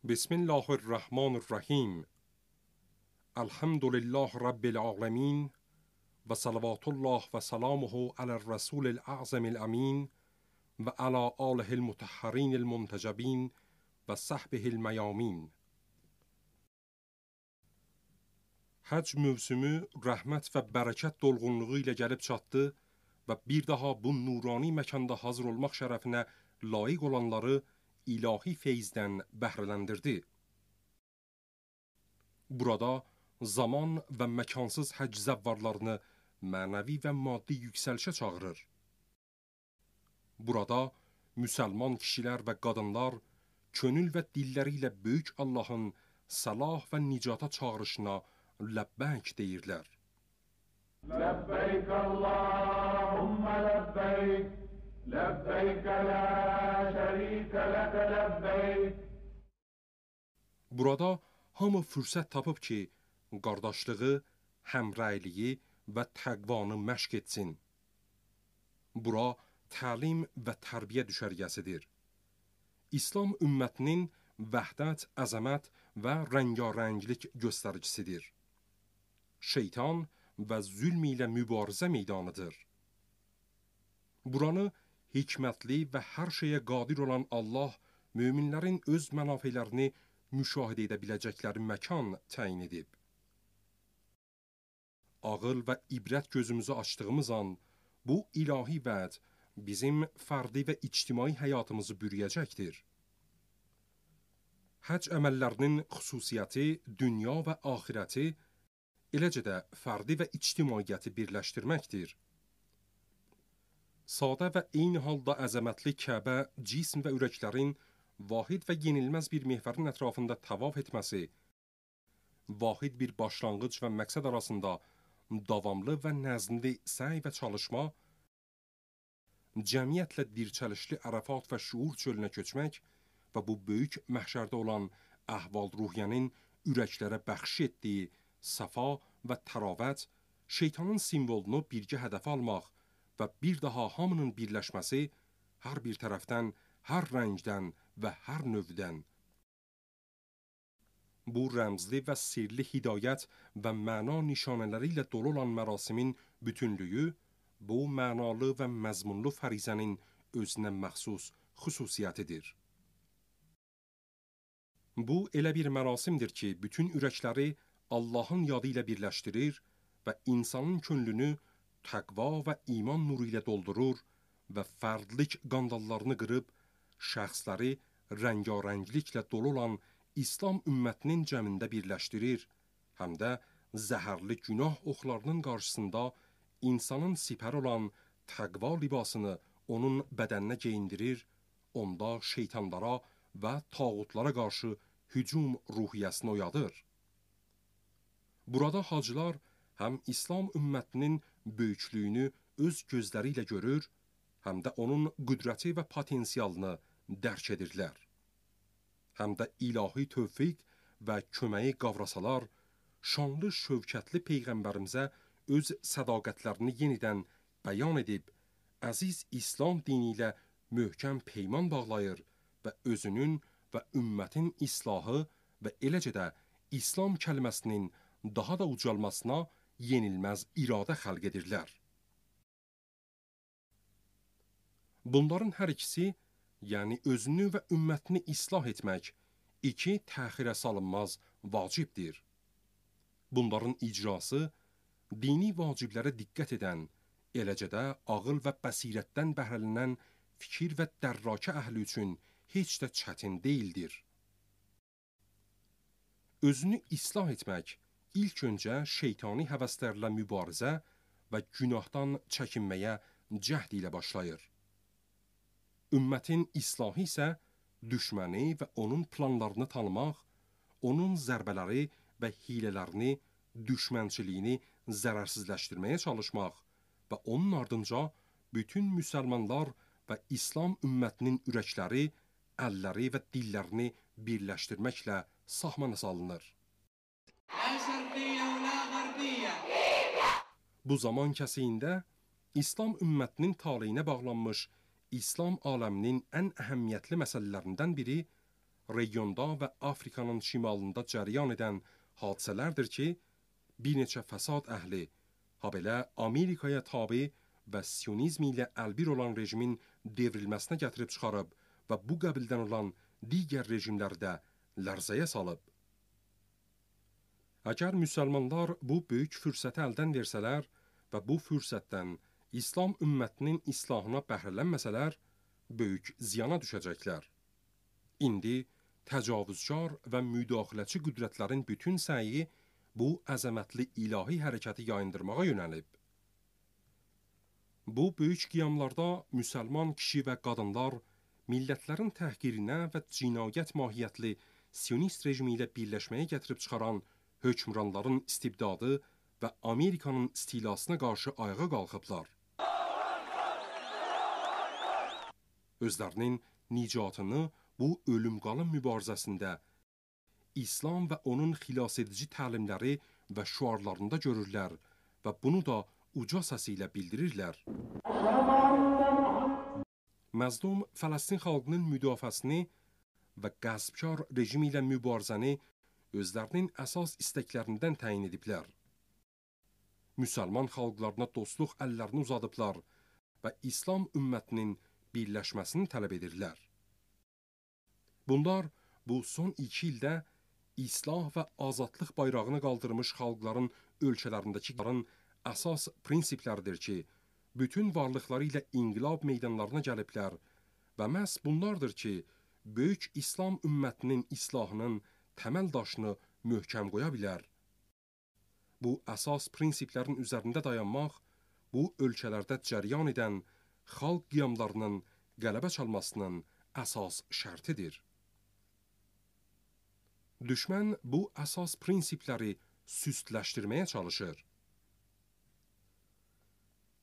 بسم الله الرحمن الرحیم. الحمد لله رب العالمین و صلوات الله و سلامه علی الرسول الاعظم الامین و علی آله المطهرین المنتجبین و صحبه المیامین. Hac mövsümü rəhmət və bərəkət dolğunluğu ilə gəlib çatdı və bir daha bu nurani məkanda hazır olmaq şərəfinə layiq olanları ilahi feyzdən bəhrələndirdi. Burada zaman və məkansız həc zəvvarlarını mənəvi və maddi yüksəlişə çağırır. Burada müsəlman kişilər və qadınlar könül və dilləri ilə böyük Allahın salah və nicata çağırışına ləbbəyk deyirlər. Ləbbəyk Allahümmə ləbbəyk, ləbbəyk lə şərikə ləkə ləbbəyk. Burada hamı fürsət tapıb ki, qardaşlığı, həmrəyliyi və təqvanı məşq etsin. Bura təlim və tərbiyə düşərgəsidir. İslam ümmətinin vəhdət, əzəmət və rəngarənglik göstəricisidir. Şeytan və zülm ilə mübarizə meydanıdır. Buranı hikmətli və hər şeyə qadir olan Allah möminlərin öz mənafələrini müşahidə edə biləcəkləri məkan təyin edib. Ağıl və ibrət gözümüzü açdığımız an bu ilahi vəd bizim fərdi və ictimai həyatımızı bürüyəcəkdir. Həc əməllərinin xüsusiyyəti dünya və axirəti, eləcə də fərdi və ictimaiyyəti birləşdirməkdir. Sadə və eyni halda əzəmətli Kəbə, cism və ürəklərin vahid və yenilməz bir mehvərin ətrafında təvaf etməsi, vahid bir başlanğıc və məqsəd arasında davamlı və nəzmli səy və çalışma, cəmiyyətlə dirçəlişli Ərəfat və şuur çölünə köçmək və bu böyük məhşərdə olan əhval-ruhiyyənin ürəklərə bəxş etdiyi səfa və təravət, şeytanın simvolunu birgə hədəfə almaq və bir daha hamının birləşməsi hər bir tərəfdən, hər rəngdən və hər növdən. Bu rəmzli və sirli hidayət və məna nişanələri ilə dolu olan mərasimin bütünlüyü, bu mənalı və məzmunlu fərizənin özünə məxsus xüsusiyyətidir. Bu elə bir mərasimdir ki, bütün ürəkləri Allahın yadı ilə birləşdirir və insanın könlünü təqva və iman nuru ilə doldurur və fərdlik qandallarını qırıb, şəxsləri rəngarəngliklə dolu olan İslam ümmətinin cəmində birləşdirir, həm də zəhərli günah oxlarının qarşısında insanın sipər olan təqva libasını onun bədəninə geyindirir, onda şeytanlara və tağutlara qarşı hücum ruhiyyəsini oyadır. Burada hacılar həm İslam ümmətinin böyüklüyünü öz gözləri ilə görür, həm də onun qüdrəti və potensialını dərk edirlər. Həm də ilahi tövfiq və köməyi qavrasalar, şanlı şövkətli Peyğəmbərimizə öz sədaqətlərini yenidən bəyan edib, əziz İslam dini ilə möhkəm peyman bağlayır və özünün və ümmətin islahı və eləcə də İslam kəlməsinin daha da ucalmasına yenilməz iradə xəlq edirlər. Bunların hər ikisi, yəni özünü və ümmətini islah etmək, iki təxirə salınmaz vacibdir. Bunların icrası, dini vaciblərə diqqət edən, eləcə də ağıl və bəsirətdən bəhrələnən fikir və dərrakə əhli üçün heç də çətin deyildir. Özünü islah etmək, ilk öncə şeytani həvəslərlə mübarizə və günahdan çəkinməyə cəhd ilə başlayır. Ümmətin islahı isə düşməni və onun planlarını tanımaq, onun zərbələri və hilələrini, düşmənçiliyini zərərsizləşdirməyə çalışmaq və onun ardınca bütün müsəlmanlar və İslam ümmətinin ürəkləri, əlləri və dillərini birləşdirməklə sahmana salınır. Bu zaman kəsiyində İslam ümmətinin taleyinə bağlanmış İslam aləminin ən əhəmiyyətli məsələlərindən biri regionda və Afrikanın şimalında cəryan edən hadisələrdir ki, bir neçə fəsad əhli, habelə Amerikaya tabi və sionizm ilə əlbir olan rejimin devrilməsinə gətirib çıxarıb və bu qəbildən olan digər rejimləri də lərzəyə salıb. Əgər müsəlmanlar bu böyük fürsəti əldən versələr və bu fürsətdən İslam ümmətinin islahına bəhrələnməsələr, böyük ziyana düşəcəklər. İndi təcavüzkar və müdaxiləçi qüdrətlərin bütün səyi bu əzəmətli ilahi hərəkəti yayındırmağa yönəlib. Bu böyük qiyamlarda müsəlman kişi və qadınlar millətlərin təhqirinə və cinayət mahiyyətli sionist rejimi ilə birləşməyə gətirib çıxaran hökmranların istibdadı və Amerikanın istilasına qarşı ayağa qalxıblar. Özlərinin nicatını bu ölüm-qalım mübarizəsində İslam və onun xilasedici təlimləri və şüarlarında görürlər və bunu da uca səsi ilə bildirirlər. Məzlum Fələstin xalqının müdafiəsini və qəsbkar rejimi ilə mübarizəni özlərinin əsas istəklərindən təyin ediblər. Müsəlman xalqlarına dostluq əllərini uzadıblar və İslam ümmətinin birləşməsini tələb edirlər. Bunlar bu son 2 ildə İslah və azadlıq bayrağını qaldırmış xalqların ölkələrindəki əsas prinsiplərdir ki, bütün varlıqları ilə inqilab meydanlarına gəliblər və məhz bunlardır ki, böyük İslam ümmətinin islahının təməl daşını möhkəm qoya bilər. Bu əsas prinsiplərin üzərində dayanmaq, bu ölkələrdə cəryan edən xalq qiyamlarının qələbə çalmasının əsas şərtidir. Düşmən bu əsas prinsipləri süstləşdirməyə çalışır.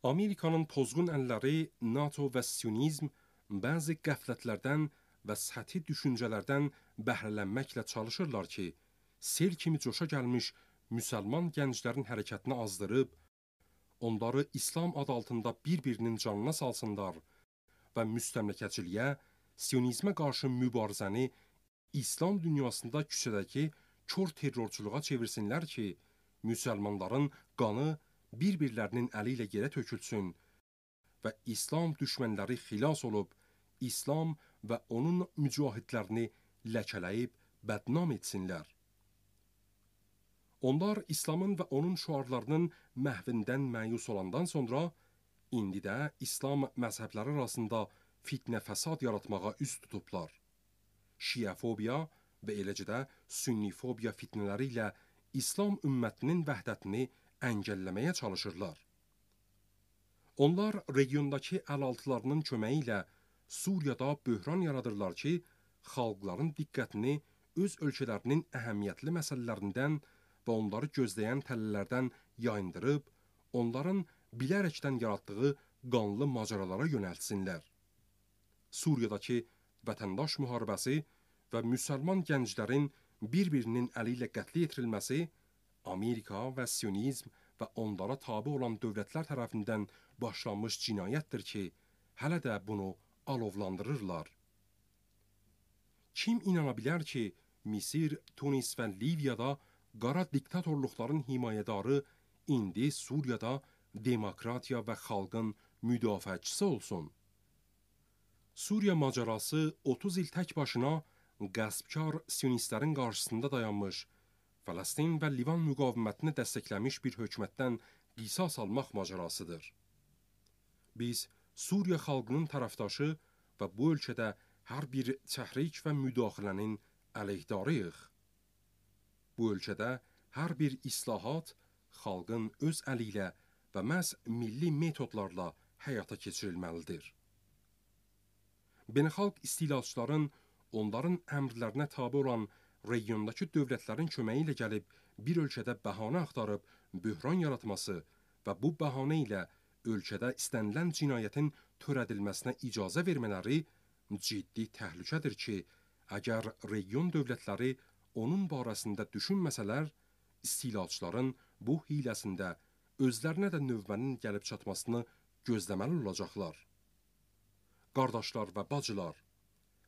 Amerikanın pozğun əlləri NATO və sionizm bəzi qəflətlərdən və səthi düşüncələrdən bəhrələnməklə çalışırlar ki, sel kimi coşa gəlmiş müsəlman gənclərin hərəkətini azdırıb, onları İslam adı altında bir-birinin canına salsınlar və müstəmləkəçiliyə, sionizmə qarşı mübarizəni İslam dünyasında küçədəki kör terrorçuluğa çevirsinlər ki, müsəlmanların qanı bir-birlərinin əli ilə yerə tökülsün və İslam düşmənləri xilas olub, İslam və onun mücahidlərini ləkələyib bədnam etsinlər. Onlar İslamın və onun şüarlarının məhvindən məyus olandan sonra, indi də İslam məzhəbləri arasında fitnə fəsad yaratmağa üz tutublar. Şiəfobiya və eləcə də sünnifobiya fitnələri ilə İslam ümmətinin vəhdətini əngəlləməyə çalışırlar. Onlar regiondakı əlaltılarının köməyi ilə Suriyada böhran yaradırlar ki, xalqların diqqətini öz ölkələrinin əhəmiyyətli məsələlərindən və onları gözləyən tələlərdən yayındırıb, onların bilərəkdən yaratdığı qanlı macəralara yönəltsinlər. Suriyadakı vətəndaş müharibəsi və müsəlman gənclərin bir-birinin əli ilə qətlə yetirilməsi Amerika və sionizm və onlara tabe olan dövlətlər tərəfindən başlanmış cinayətdir ki, hələ də bunu alovlandırırlar. Kim inana bilər ki, Misir, Tunis və Liviyada qara diktatorluqların himayədarı indi Suriyada demokratiya və xalqın müdafiəçisi olsun? Suriya macərası 30 il tək başına qəsbkar sionistlərin qarşısında dayanmış, Fələstin və Livan müqavimətini dəstəkləmiş bir hökumətdən qisas almaq macərasıdır. Biz Suriya xalqının tərəfdaşı və bu ölkədə hər bir təhrik və müdaxilənin əleyhdarıyıq. Bu ölkədə hər bir islahat xalqın öz əli ilə və məhz milli metodlarla həyata keçirilməlidir. Beynəlxalq istilaçıların onların əmrlərinə tabe olan regiondakı dövlətlərin köməyi ilə gəlib bir ölkədə bəhanə axtarıb böhran yaratması və bu bəhanə ilə ölkədə istənilən cinayətin törədilməsinə icazə vermələri ciddi təhlükədir ki, əgər region dövlətləri onun barəsində düşünməsələr, istilaçıların bu hiləsində özlərinə də növbənin gəlib çatmasını gözləməli olacaqlar. Qardaşlar və bacılar,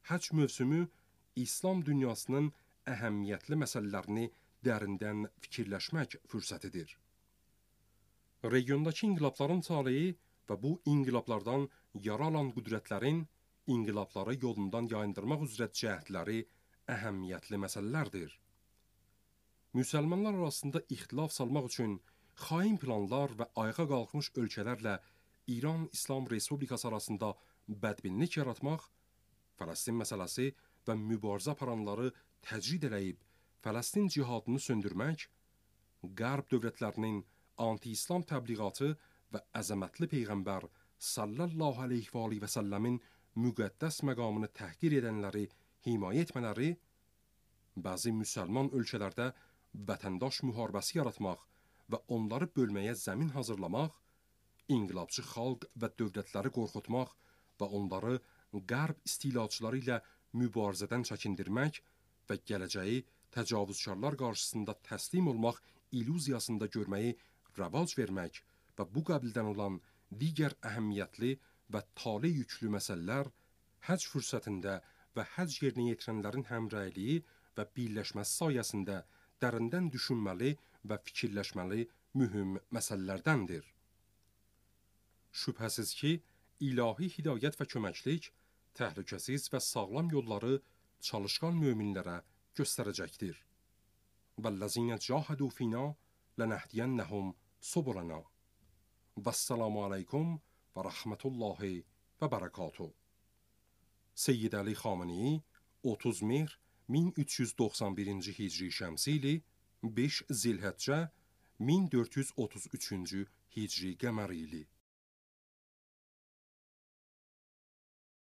həcc mövsümü İslam dünyasının əhəmiyyətli məsələlərini dərindən fikirləşmək fürsətidir. Regiondakı inqilabların taleyi və bu inqilablardan yara alan qüdrətlərin inqilabları yolundan yayındırmaq üzrə cəhdləri əhəmiyyətli məsələlərdir. Müsəlmanlar arasında ixtilaf salmaq üçün xain planlar və ayağa qalxmış ölkələrlə İran İslam Respublikası arasında bədbinlik yaratmaq, Fələstin məsələsi və mübarizə aparanları təcrid eləyib Fələstin cihadını söndürmək, Qərb dövlətlərinin anti-İslam təbliğatı və əzəmətli Peyğəmbər sallallahu aleyhi və səlləmin müqəddəs məqamını təhqir edənləri himayə etmələri, bəzi müsəlman ölkələrdə vətəndaş müharibəsi yaratmaq və onları bölməyə zəmin hazırlamaq, inqilabçı xalq və dövlətləri qorxutmaq və onları Qərb istilaçıları ilə mübarizədən çəkindirmək və gələcəyi təcavüzkarlar qarşısında təslim olmaq illüziyasında görməyi rəvac vermək və bu qəbildən olan digər əhəmiyyətli və tale yüklü məsələlər həcc fürsətində və həcc yerinə yetirənlərin həmrəyliyi və birləşməsi sayəsində dərindən düşünməli və fikirləşməli mühüm məsələlərdəndir. Şübhəsiz ki, ilahi hidayət və köməklik təhlükəsiz və sağlam yolları çalışqan möminlərə göstərəcəkdir. وَالَّذِينَ جَاهَدُوا فِينَا لَنَهْدِيَنَّهُمْ سُبُلَنَا وَالسَّلَامُ عَلَيْكُمْ وَرَحْمَةُ اللّٰهِ وَبَرَكَاتُهُ. Seyyid Əli Xamenei 30 mehr 1391-ci Hicri Şəmsi ili 5 Zilhəccə 1433-cü Hicri Qəməri ili.